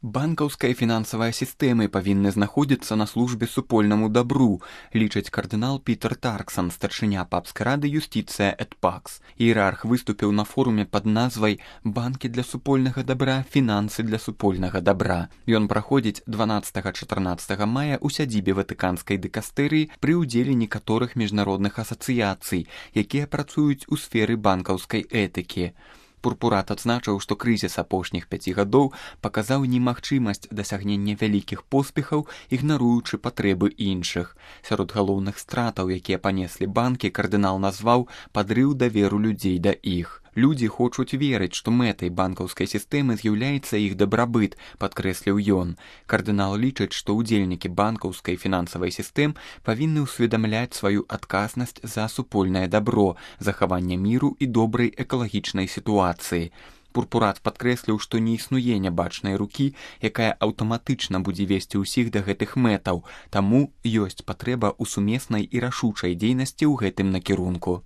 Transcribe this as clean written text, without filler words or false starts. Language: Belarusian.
Банкаўская і фінансавая сістэмы павінны знаходзіцца на службе супольнаму дабру, лічыць кардынал Пітер Тарксан, старшыня папскай рады Юстицыя эт Пакс. Іерарх выступіў на форуме пад назвай «Банкі для супольнага дабра, фінансы для супольнага дабра». Ён праходзіць 12-14 мая ў сядзібе Ватыканскай дыкастэрыі пры ўдзеле некаторых міжнародных асацыяцый, якія працуюць у сферы банкаўскай этыкі. Пурпурат адзначыў, што крызіс апошніх 5 гадоў паказаў немагчымасць дасягнення вялікіх поспехаў, ігнаруючы патрэбы іншых. Сярод галоўных стратаў, якія панеслі банкі, кардынал назваў падрыў даверу людзей да іх. Людзі хочуць верыць, што мэтай банкаўскай сістэмы з'яўляецца іх дабрабыт, падкрэсліў ён. Кардынал лічыць, што ўдзельнікі банкаўскай і фінансавай сістэм павінны ўсведамляць сваю адказнасць за супольнае дабро, захаванне міру і добрай экалагічнай сітуацыі. Пурпурат падкрэсліў, што не існуе нябачнай рукі, якая аўтаматычна будзе весці ўсіх да гэтых мэтаў, таму ёсць патрэба ў сумеснай і рашучай дзейнасці ў гэтым накірунку.